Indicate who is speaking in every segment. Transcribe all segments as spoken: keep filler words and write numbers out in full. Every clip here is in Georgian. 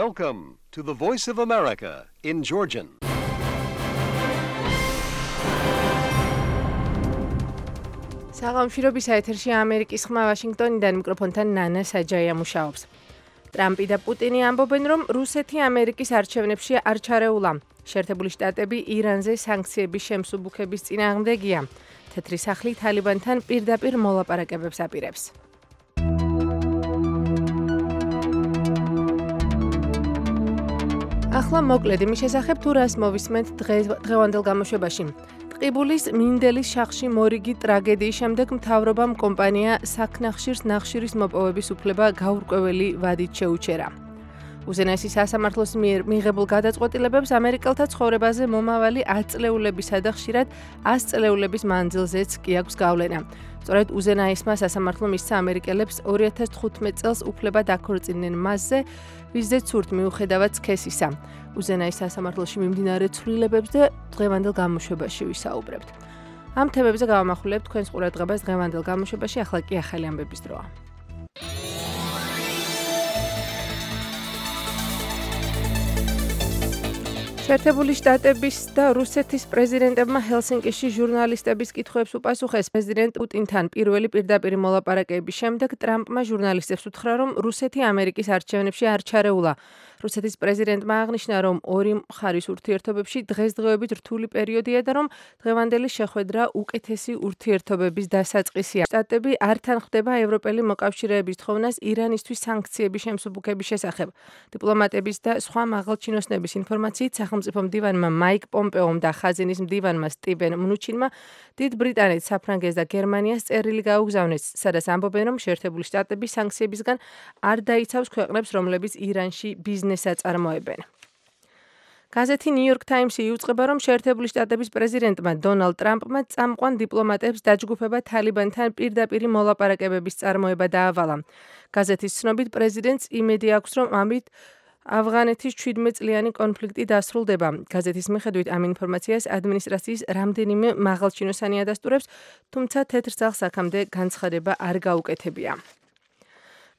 Speaker 1: Welcome to the Voice of America in Georgian.
Speaker 2: საღამოშრობის ეთერში ამერიკის ხმა ვაშინგტონიდან მიკროფონთან ნანა საჯაია მუშაობს. ტრამპი და პუტინი ამბობენ, რომ რუსეთი ამერიკის არჩევნებში არ ჩარეულა. შეერთებული შტატები ირანზე სანქციების შემსუბუქების წინააღმდეგია. თეთრი სახლი თალიბანთან პირდაპირ მოლაპარაკებებს აპირებს. ახლა მოკლედ იმის შესახებ თუ რას მოვისმენთ დღევანდელ გამოშვებაში. ტყიბულის მინდელის შახში მორიგი ტრაგედიის შემდეგ მთავრობამ კომპანია საქნახშირს ნახშირის მოპოვების უფლება გაურკვეველი ვადით შეუჩერა. უზენაესი სასამართლოს მიერ მიღებულ გადაწყვეტილებებს ამერიკელთა ცხოვრებაზე მომავალი ათ წლეულებისა და ხშირად ას წლეულების მანძილზეც კი აქვს გავლენა. სწორედ უზენაესმა სასამართლომ მისცა ამერიკელებს ორი ათას თხუთმეტ წელს უფლება დაქორწინდნენ მასზე, ვიზეც სურთ მიუხედავად სქესისა. უზენაეს სასამართლოში მიმდინარე ცვლილებებს და დღევანდელ გამოშვებაში ვისაუბრებთ. ამ თემებზე გავამახვილებთ თქვენს ყურადღებას დღევანდელ გამოშვებაში, ახლა კი ახალი ამბების დროა. შეერთებული შტატების და რუსეთის პრეზიდენტებმა ჰელსინკიში ჟურნალისტების კითხვებს უპასუხეს. პრეზიდენტ პუტინთან პირველი პირდაპირი მოლაპარაკების შემდეგ ტრამპმა ჟურნალისტებს უთხრა, რომ რუსეთი ამერიკის არჩევნებში არ ჩარეულა. რუსეთის პრეზიდენტმა აღნიშნა, რომ ორი მხარის ურთიერთობებში დღესდღეობით რთული პერიოდია და რომ დღევანდელი შეხვედრა უკეთესი ურთიერთობების დასაწყისია. შტატები არ თანხმდება ევროპელი მოკავშირეების თხოვნას ირანისთვის სანქციების შემსუბუქების შესახებ. დიპლომატების და სხვა მაღალჩინოსნების ინფორმაციით სახელმწიფო მდივანმა მაიკ პომპეომ და ხაზინის მდივანმა სტივენ მნუჩინმა დიდ ბრიტანეთს, საფრანგეთს და გერმანიას წერილი გაუგზავნეს, სადაც ამბობენ, რომ შეერთებული შტატები სანქციებისგან არ დაიცავს ქვეყნებს, რომლებიც ირანში ბიზნესს აწარმოებენ. გაზეთი New York Times-ი იუწყება, რომ შეერთებული შტატების პრეზიდენტმა დონალდ ტრამპმა წამყვან დიპლომატებს დაჯგუფება თალიბანთან პირდაპირი მოლაპარაკებების წარმოება დაავალა. გაზეთის ცნობით პრეზიდენტს იმედი აქვს, რომ ამით ავღანეთის ჩვიდმეტ წლიანი კონფლიქტი დასრულდება. გაზეთის მიხედვით ამ ინფორმაციას ადმინისტრაციის რამდენიმე მაღალჩინოსანი ადასტურებს, თუმცა თეთრ სახლს აქამდე განცხადება არ გაუკეთებია.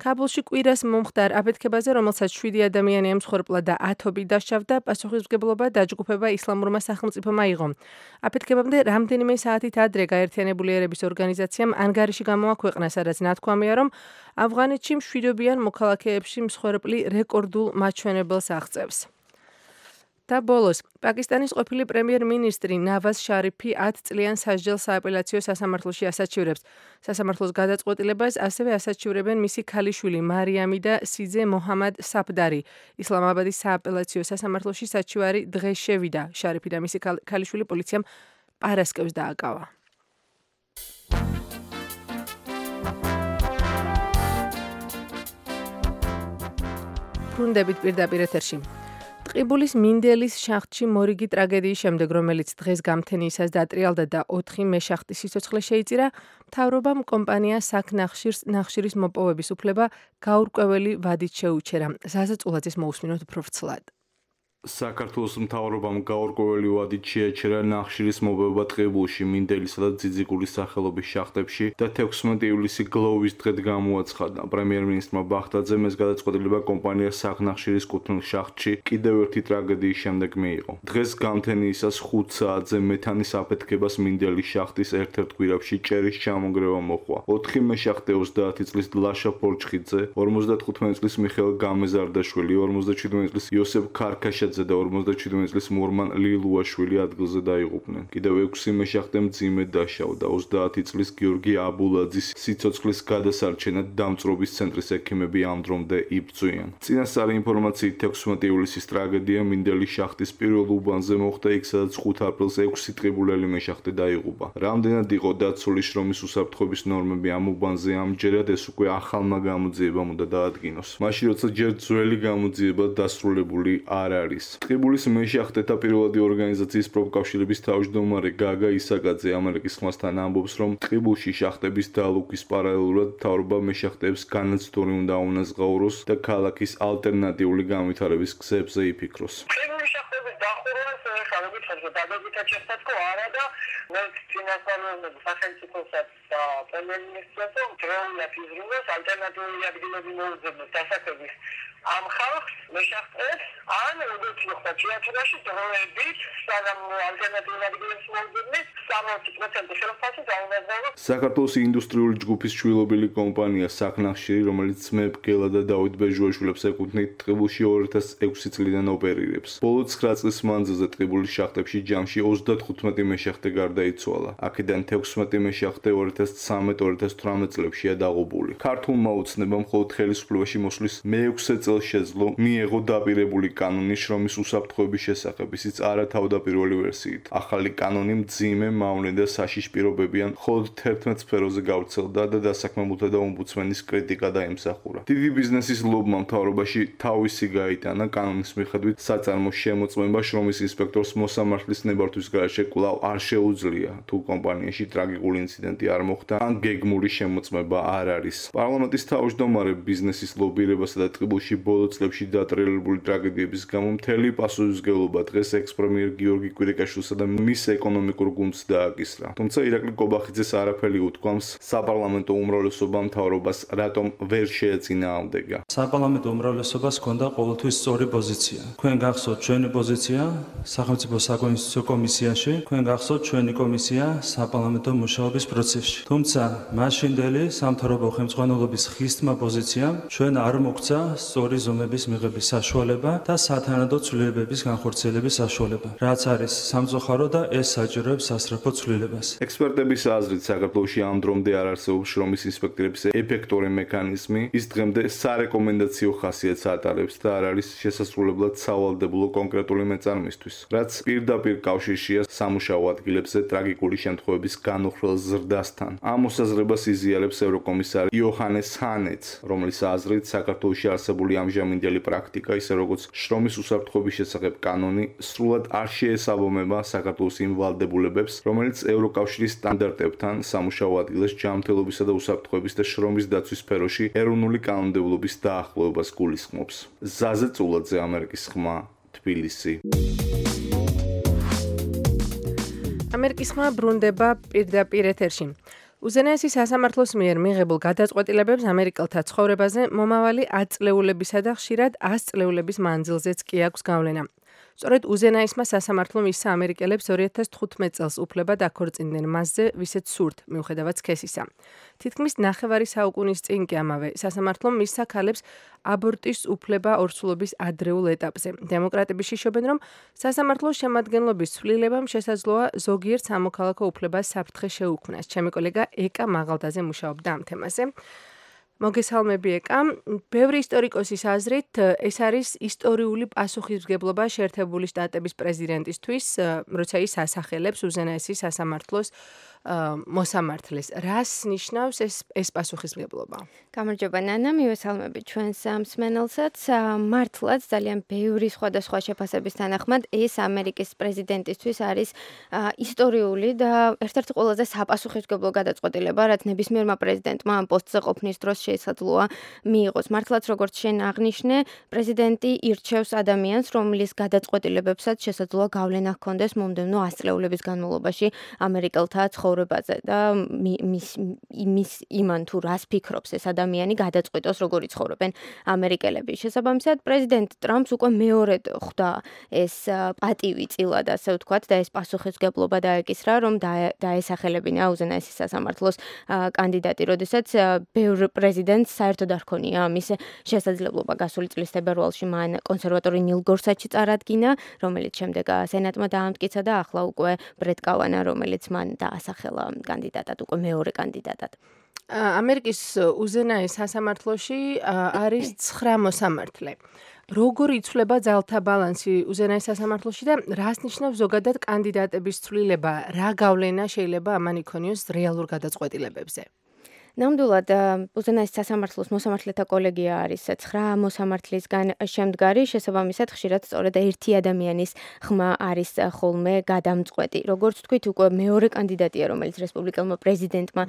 Speaker 2: ქაბულში კვირას მომხდარ აფეთქებაზე, რომელსაც შვიდი ადამიანი ემსხვერპლა და ათობით დასჯავდა, პასუხისმგებლობა დაჯგუფება ისლამურმა სახელმწიფომ აიღო. აფეთქებამდე რამდენიმე საათით ადრე გაერთიანებული ერების ორგანიზაციამ ანგარიში გამოაქვეყნა, სადაც ნათქვამია, რომ ავღანეთში მშვიდობიან მოქალაქეებში მსხვერპლი რეკორდულ მაჩვენებელს აღწევს. და ბოლოს, პაკისტანის ყოფილი პრემიერ-მინისტრი ნავაზ შარიფი ათ წლიან სასჯელ სააპელაციო სასამართლოში ასაჩივრებს. სასამართლოს გადაწყვეტილებას ასევე ასაჩივრებენ მისი ქალიშვილი მარიამი და სიძე მოჰამად საფდარი. ისლამაბადის სააპელაციო სასამართლოში საჩივარი დღეს შევიდა. შარიფი და მისი ქალიშვილი პოლიციამ პარასკევს დააკავა. ბრუნდებით პირდაპირ ეთერში. ტყიბულის მინდელის შახტში მორიგი ტრაგედიის შემდეგ, რომელიც დღეს გამთენიისას დატრიალდა და ოთხი მეშახტის სიცოცხლე შეიწირა, მთავრობამ კომპანია საქნახშირს ნახშირის მოპოვების უფლება გაურკვეველი ვადით შეუჩერა. ზაზა წულაძის მოусმინოთ უფრო ვრცლად.
Speaker 3: საქართველოს მთავრობამ გაურკვეველი ვადით შეაჩერა ნახშირის მოპოვება ტყიბულში, მინდელისა და ძიძიგულის სახელობის შახტებში და თექვსმეტი ივლისი გლოვის დღედ გამოაცხადა. პრემიერ-მინისტრმა ბახტაძემ ეს გადაწყვეტილება კომპანია საქნახშირის კუთვნილ შახტში კიდევ ერთი ტრაგედიის შემდეგ მიიღო. დღეს გამთენიისას ხუთ საათზე მეთანის აფეთქებას მინდელის შახტის ერთ-ერთ გვირაბში ჭერის ჩამონგრევა მოჰყვა. ოთხი მეშახტე ოცდაათი წლის დლაშა ფორჩხიძე, ორმოცდათხუთმეტი წლის მიხეილ გამეზარდაშვილი, ორმოცდაჩვიდმეტი წლის იოსებ ქარქაშა და ორმოცდაჩვიდმეტი წლის მორმან ლილუაშვილი ადგილზე დაიღუპნენ. კიდევ ექვსი მეშახტე მძიმედ დაშავდა. ოცდაათი წლის გიორგი აბულაძის სიცოცხლის გადასარჩენად დამწრობის ცენტრის ექიმები ამ დრომდე იბრძვიან. წინასწარი ინფორმაციით თექვსმეტი ივლისის ტრაგედია მინდელის შახტის პირველ უბანზე მოხდა, იქ სადაც ხუთ აპრილს ექვსი ტყიბულელი მეშახტე დაიღუპა. რამდენად იყო დაცული შრომის უსაფრთხოების ნორმები ამ უბანზე, ამჯერად ეს უკვე ახალმა გამოძიებამ უნდა დაადგინოს. მაშინ როცა ჯერ ძველი გამოძიება დასრულებული არ არის. ტყიბულის მეშახტეთა პირველადი ორგანიზაციის პროფკავშირების თავმჯდომარე გაგა ისაკაძე ამერიკის ხმასთან ამბობს, რომ ტყიბულში შახტების დალუქვის პარალელურად მთავრობა მეშახტეებს განაცდური უნდა აუნაზღაუროს და ქალაქის ალტერნატიული განვითარების გზებზე იფიქროს.
Speaker 4: ტყიბულის შახტების დახურვას დავალებით ხარჯვა დადებითად შეხვდა არა და მე ფინანსალურ სახელმწიფოსაც და პრემიერ-მინისტრსაც დროულად იზრუნოს ალტერნატიული ადგილები მოუძებნოს დასაქმების ამ ხალხს მეშახტეს ან როგორც ხდება თეატრში დროებით სანამ ალტერნატიული ადგილებს მოუძებნეს სამოცი პროცენტი შეფასება დაუნაზარო
Speaker 3: საქართველოს ინდუსტრიული ჯგუფის შვილობილი კომპანია საქნახშირი, რომელიც მეფ გელა და დავით ბეჟუაშვილებს ეკუთვნით, ტყიბულში ორი ათას ექვსი წლიდან ოპერირებს. ბოლო ცხრა წლის მანძილზე ტყიბულის შახტებში ჯამში ოცდათხუთმეტი მეშახტე გარდაიცვალა. აქედან თექვსმეტი მეშახტე ორი ათას ცხრამეტ ორი ათას თვრამეტ წლებშია დაღუპული. ქართულმა ოცნებამ მხოლოდ ხელისუფლებაში მოსვლის მეექვსე წელს შეძლო მიეღო დაპირებული კანონი შრომის უსაფრთხოების შესახებ, ისიც არა თავდაპირველი ვერსიით. ახალი კანონი მძიმე, მავნე და საშიშ პირობებიან მხოლოდ თერთმეტ სფეროზე გავრცელდა და დასაქმებულთა და ომბუდსმენის კრიტიკა დაიმსახურა. დიდი ბიზნესის ლობმა მთავრობაში თავისი გაიტანა კანონის მიხედვით საწარმოს შემოწმება შრომის ინსპექტორს მოსამართლის ნებართვის გარეშე კვლავ არ შეუძლია, თუ კომპანიაში ტრაგიკული ინციდენტი არ მოხდა ან გეგმური შემოწმება არ არის. პარლამენტის თავმჯდომარე ბიზნესის ლობირებასა და ტყიბულში ბოლო წლებში დატრიალებული ტრაგედიების გამო მთელი პასუხისმგებლობა დღეს ექს-პრემიერ გიორგი კვირიკაშვილსა და მის ეკონომიკურ გუნდს დააკისრა. თუმცა ირაკლი კობახიძეს არაფერი უთქვამს საპარლამენტო უმრავლესობა მთავრობას რატომ ვერ შეეწინააღმდეგა.
Speaker 5: საპარლამენტო უმრავლესობას ჰქონდა ყოველთვის სწორი პოზიცია. თქვენ გახსოვთ ჩვენი პოზიცია სახელმწიფო საკონსტიტუციო კომისიაში, თქვენ გახსოვთ ჩვენი კომისია საპარლამენტო მუშაობის პროცესში. თუმცა მაშინდელი სამთავრობო ხელმძღვანელობის ხისტმა პოზიციამ ჩვენ არ მოგცა სწორი ზომების მიღების საშუალება და სათანადო ცვლილებების განხორციელების საშუალება, რაც არის სამწუხარო და ეს საჭიროებს სასწრაფო ცვლილებას.
Speaker 3: ექსპერტების აზრით, საქართველოში ამ დრომდე არ არსებობს შრომის ინსპექტორების ეფექტური მექანიზმი, ის დღემდე სარეკომენდაციო ხასიათს ატარებს და არ არის შესასრულებლად სავალდებულო კონკრეტული მეწარმისთვის, რაც პირდაპირ კავშირშია სამუშაო ადგილებზე ტრაგიკული შემთხვევების განუხრელ ზრდასთან. ამ მოსაზრებას იზიარებს ევროკომისარი იოჰანეს ჰანეც, რომლის აზრით საქართველოში არსებული ამჟამინდელი პრაქტიკა, ისე როგორც შრომის უსაფრთხოების შესახებ კანონი, სრულად არ შეესაბამება საქართველოს იმ ვალდებულებებს, რომელიც ევროკავშირის სტანდარტებთან სამუშაო ადგილას ჯანმრთელობისა და უსაფრთხოების და შრომის დაცვის სფეროში ეროვნული კანონმდებლობის დაახლოებას გულისხმობს. ზაზე წულაძე, ამერიკის ხმა, თბილისი.
Speaker 2: ამერიკის ხმა ბრუნდება პირდაპირ ეთერში. უზენაესი სასამართლოს მიერ მიღებულ გადაწყვეტილებებს ამერიკელთა ცხოვრებაზე მომავალი ათწლეულებისა და ხშირად ას წლეულების მანძილზეც კი აქვს გავლენა. სწორედ უზენაესმა სასამართლომ ისა ამერიკელებს ორი ათას თხუთმეტ წელს უფლება დაქორწინდნენ მასზე, ვისაც სურთ, მიუხედავად სქესისა. თითქმის ნახევარი საუკუნის წინ კი ამავე სასამართლომ მისცა ქალებს აბორტის უფლება ორსულობის ადრეულ ეტაპზე. დემოკრატები შიშობენ, რომ სასამართლოს შემადგენლობის ცვლილებამ შესაძლოა ზოგიერთ სამოქალაქო უფლებას საფრთხე შეუქმნას. ჩემი კოლეგა ეკა მაღალდაზე მუშაობდა ამ თემაზე. მოგესალმები ეკა. ბევრი ისტორიკოსის აზრით, ეს არის ისტორიული პასუხისმგებლობა შეერთებული შტატების პრეზიდენტისთვის, როცა ის ასახელებს უზენაესი სასამართლოს მოსამართლეს. რას ნიშნავს ეს ეს პასუხისმგებლობა?
Speaker 6: გამარჯობა ნანა, მივესალმები ჩვენს მსმენელსაც. მართლაც ძალიან ბევრი სხვადასხვა შეფასების თანახმად ეს ამერიკის პრეზიდენტისთვის არის ისტორიული და ერთ-ერთი ყველაზე საპასუხისმგებლო გადაწყვეტილება, რაც ნებისმიერმა პრეზიდენტმა ამ პოსტზე ყოფნის დროს შესაძლოა მიიღოს. მართლაც როგორც შენ აღნიშნე, პრეზიდენტი ირჩევს ადამიანს, რომლის გადაწყვეტილებებსაც შესაძლოა გავლენა ჰქონდეს მომდევნო ას წლეულების განმავლობაში ამერიკელთა ცხოვრებაზე და მის იმის იმან თუ რას ფიქრობს ეს ადამიანი გადაწყვეტოს როგორი ცხოვრობენ ამერიკელები. შესაბამისად, პრეზიდენტ ტრამპს უკვე მეორედ ხვდა ეს პატივი წილად, ასე ვთქვათ, და ეს პასუხისმგებლობა დაეკისრა, რომ დაესახელებინა უზენაესი სასამართლოს კანდიდატი, როდესაც ბევრ პრეზიდენტს საერთოდ არ ჰქონია ამის შესაძლებლობა. გასული წლის თებერვალში მან კონსერვატორი ნილ გორსაჩი წარადგინა, რომელიც შემდეგ სენატმა დაამტკიცა და ახლა უკვე ბრეტ კავანა, რომელიც მან დაასახელა კანდიდატად, უკვე მეორე კანდიდატად.
Speaker 2: ამერიკის უზენაეს სასამართლოში არის ცხრა მოსამართლე. როგორ იცვლება ძალთა ბალანსი უზენაეს სასამართლოში და რას ნიშნავს ზოგადად კანდიდატების ცვლილება? რა გავლენა შეიძლება ამან იქონიოს რეალურ გადაწყვეტილებებზე?
Speaker 6: ნამდვილად უზენაეს სასამართლოს მოსამართლეთა კოლეგია არის ცხრა მოსამართლისგან შემდგარი, შესაბამისად ხშირად სწორედ ერთი ადამიანის ხმა არის ხოლმე გადამწყვეტი. როგორც თქვით, უკვე მეორე კანდიდატია, რომელიც რესპუბლიკელმა პრეზიდენტმა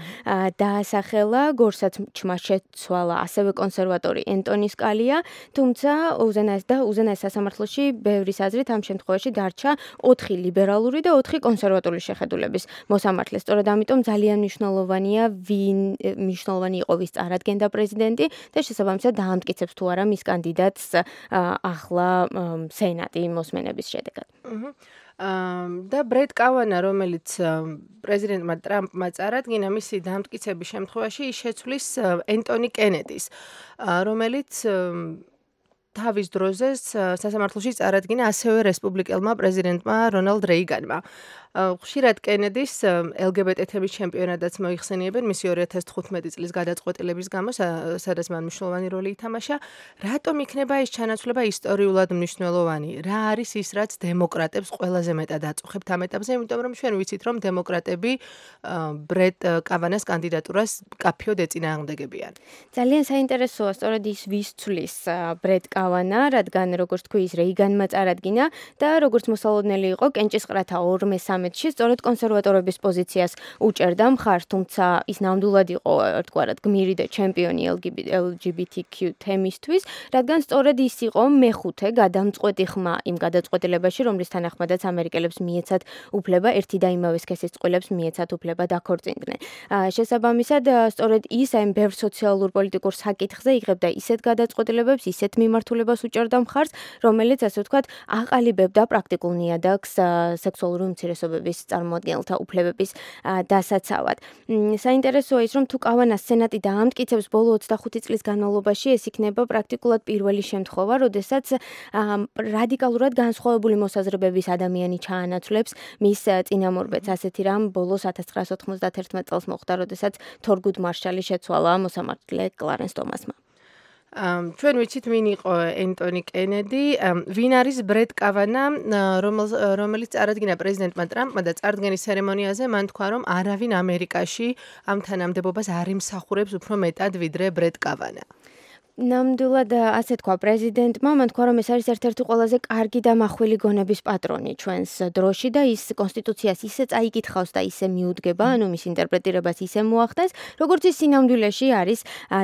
Speaker 6: დაასახელა, გორსაც ჩმა შეცვალა ასევე კონსერვატორი ენტონი სკალია, თუმცა უზენაეს და უზენაეს სასამართლოში ბევრის აზრით ამ შემთხვევაში დარჩა ოთხი ლიბერალური და ოთხი კონსერვატული შეხედულების მოსამართლე. სწორედ ამიტომ ძალიან მნიშვნელოვანია ვინ მნიშვნელოვანი იყო ვის წარადგენდა პრეზიდენტი და შესაბამისად დაამტკიცებს თუ არა მის კანდიდატს ახლა სენატი მოსმენების შედეგად.
Speaker 2: და ბრედ კავანა, რომელიც პრეზიდენტმა ტრამპმა წარადგინა, მისი დამტკიცების შემთხვევაში ის შეცვლის ენტონი კენედის, რომელიც თავის დროზე სასამართლოში წარადგინა ასევე რესპუბლიკელმა პრეზიდენტმა რონალდ რეიგანმა. ხშირად კენედის ელ გი ბი ტი თემის ჩემპიონატაც მოიხსენიებენ მისი ორი ათას თხუთმეტი წლის გადაწყვეტილების გამო, სადაც მან მნიშვნელოვანი როლი ითამაშა. რატომ იქნება ეს ჩანაცვლება ისტორიულად მნიშვნელოვანი? რა არის ის, რაც დემოკრატებს ყველაზე მეტად აწუხებთ ამ ეტაპზე, იმიტომ რომ ჩვენ ვიცით, რომ დემოკრატები ბრედ კავანას კანდიდატურას კაფიოდ ეწინააღმდეგებიან.
Speaker 6: ძალიან საინტერესოა სწორედ ის ვის ცვლის ბრედ კავანა, რადგან როგორც თქვი ის რეიგანმა წარადგინა და როგორც მოსალოდნელი იყო კენჭისყრათა ორმე სამეთში სწორედ კონსერვატორების პოზიციას უჭერდა მხარს, თუმცა ის ნამდვილად იყო ერთგვარად გმირი და ჩემპიონი ელ ჯი ბი თი კიუ თემისთვის, რადგან სწორედ ის იყო მეხუთე გადამწყვეტი ხმა იმ გადაწყვეტილებაში, რომლის თანახმადაც ამერიკელებს მიეცათ უფლება ერთი და იმავე სქესის წყვილებს მიეცათ უფლება დაქორწინდნენ. შესაბამისად, სწორედ ის ამ ბევრ სოციალურ პოლიტიკურ საკითხზე იღებდა ისეთ გადაწყვეტილებებს, ისეთ მიმართულებას უჭერდა მხარს, რომელიც ასე ვთქვათ, აყალიბებდა პრაქტიკულ ნიადაგს სექსუალური უმცირესობების წარმოადგენელთა უფლებების დასაცავად. საინტერესოა ის, რომ თუ კავანას სენატი დაამტკიცებს ბოლო ოცდახუთი წლის განმავლობაში, ეს იქნება პრაქტიკულად პირველი შემთხვევა, როდესაც რადიკალურად განსხვავებული მოსაზრებების ადამიანი ჩაანაცვლებს მის წინამორბედს. ასეთი რამ ბოლოს ათას ცხრაასი ოთხმოცდაათი წელს მოხდა, როდესაც თორგუდ მარშალი შეცვალა მოსამართლე კლარენს ტომასმა.
Speaker 2: ჩვენ ვიცით ვინ იყო ენტონი კენედი, ვინ არის ბრედ კავანა, რომელიც წარადგინა პრეზიდენტმა ტრამპმა და წარდგენის ცერემონიაზე მან თქვა, რომ არავინ ამერიკაში ამ თანამდებობას არ იმსახურებს უფრო მეტად ვიდრე ბრედ კავანა.
Speaker 6: ნამდვილად ასე თქვა პრეზიდენტმა, მან თქვა, რომ ეს არის ერთ-ერთი ყველაზე კარგი და მახვილი გონების პატრონი ჩვენს დროში და ის კონსტიტუციას ისე წაიკითხავს და ისე მიუდგება, ანუ მის ინტერპრეტირებას ისე მოახდენს, როგორც ის სინამდვილეში არის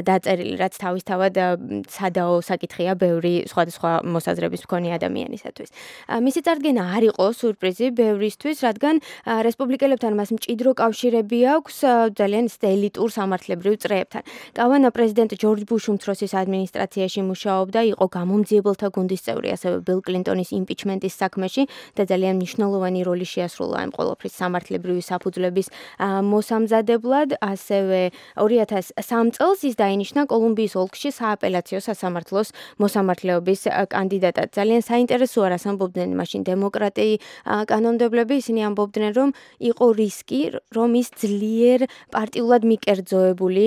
Speaker 6: დაწერილი, რაც თავისთავად სადაო საკითხია ბევრი სხვადასხვა მოსაზრების მქონე ადამიანისათვის. მისი წარდგენა არ იყო სურპრიზი ბევრისთვის, რადგან რესპუბლიკელებთან მას მჭიდრო კავშირები აქვს ძალიან ელიტურ სამართლებრივ წრეებთან. კავანა პრეზიდენტ ჯორჯ ბუშ უმცროსის ადმინისტრაციაში მუშაობდა, იყო გამომძიებელთა გუნდის წევრი, ასევე ბილ კლინტონის იმპიჩმენტის საქმეში და ძალიან მნიშვნელოვანი როლი შეასრულა ამ ყოველფრის სამართლებრივი საფუძვლების მოსამზადებლად. ასევე ორი ათას სამი წელს ის დაინიშნა კოლუმბიის ოლქში სააპელაციო სასამართლოს მოსამართლეობის კანდიდატად. ძალიან საინტერესოა, რას ამბობდნენ მაშინ დემოკრატი კანონმდებლები, ისინი ამბობდნენ, რომ იყო რისკი, რომ ის ძლიერ პარტიულად მიკერძოებული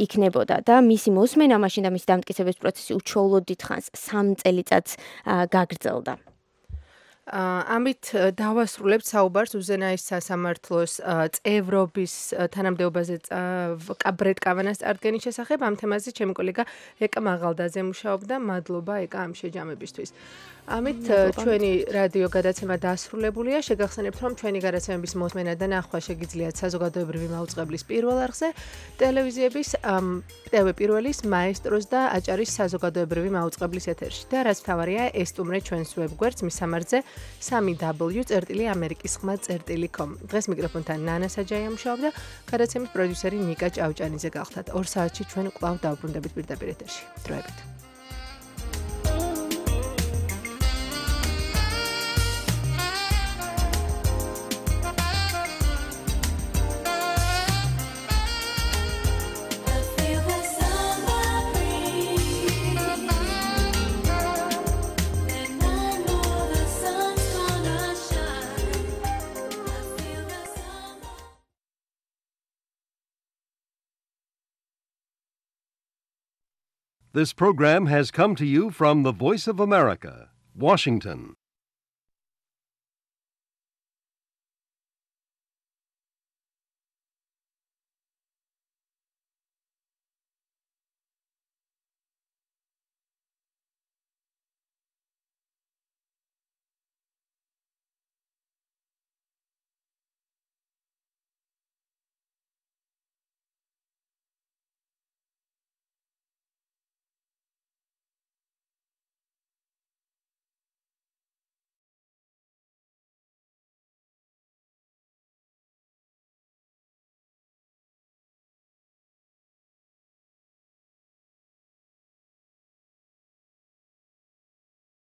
Speaker 6: იქნებოდა და მისი მოსმენა მაშინ და მისი დამტკიცების პროცესი უჩვეულოდ დიდხანს სამ წელიწადს გაგრძელდა.
Speaker 2: ამით დავასრულებთ საუბარს უზენაეს სასამართლოს წევრობის თანამდებობაზე ბრედ კავანას წარდგენის შესახებ. ამ თემაზე ჩემი კოლეგა ეკა მაღალდაძე მუშაობდა. მადლობა ეკა ამ შეჯამებისთვის. ამით ჩვენი რადიო გადაცემა დასრულებულია. შეგახსენებთ, რომ ჩვენი გადაცემების მოსმენა და ნახვა შეგიძლიათ საზოგადოებრივი მაუწყებლის პირველ არხზე, ტელევიზიების ტევ პირველის, მაესტროს და აჭარის საზოგადოებრივი მაუწყებლის ეთერში. და რაც მთავარია, ესტუმრეთ ჩვენს ვებგვერდს მის სამარხზე სამი დაბლიუ წერტილი ამერიკის ხმა წერტილი კომ. დღეს მიკროფონთან ნანა საჯაია მუშაობდა, გადაცემის პროდიუსერი ნიკა ჭავჭანიძე გახლდათ. ორ საათში ჩვენ კვლავ დავბრუნდებით პირდაპირ ეთერში. დროებით.
Speaker 1: This program has come to you from the Voice of America, Washington.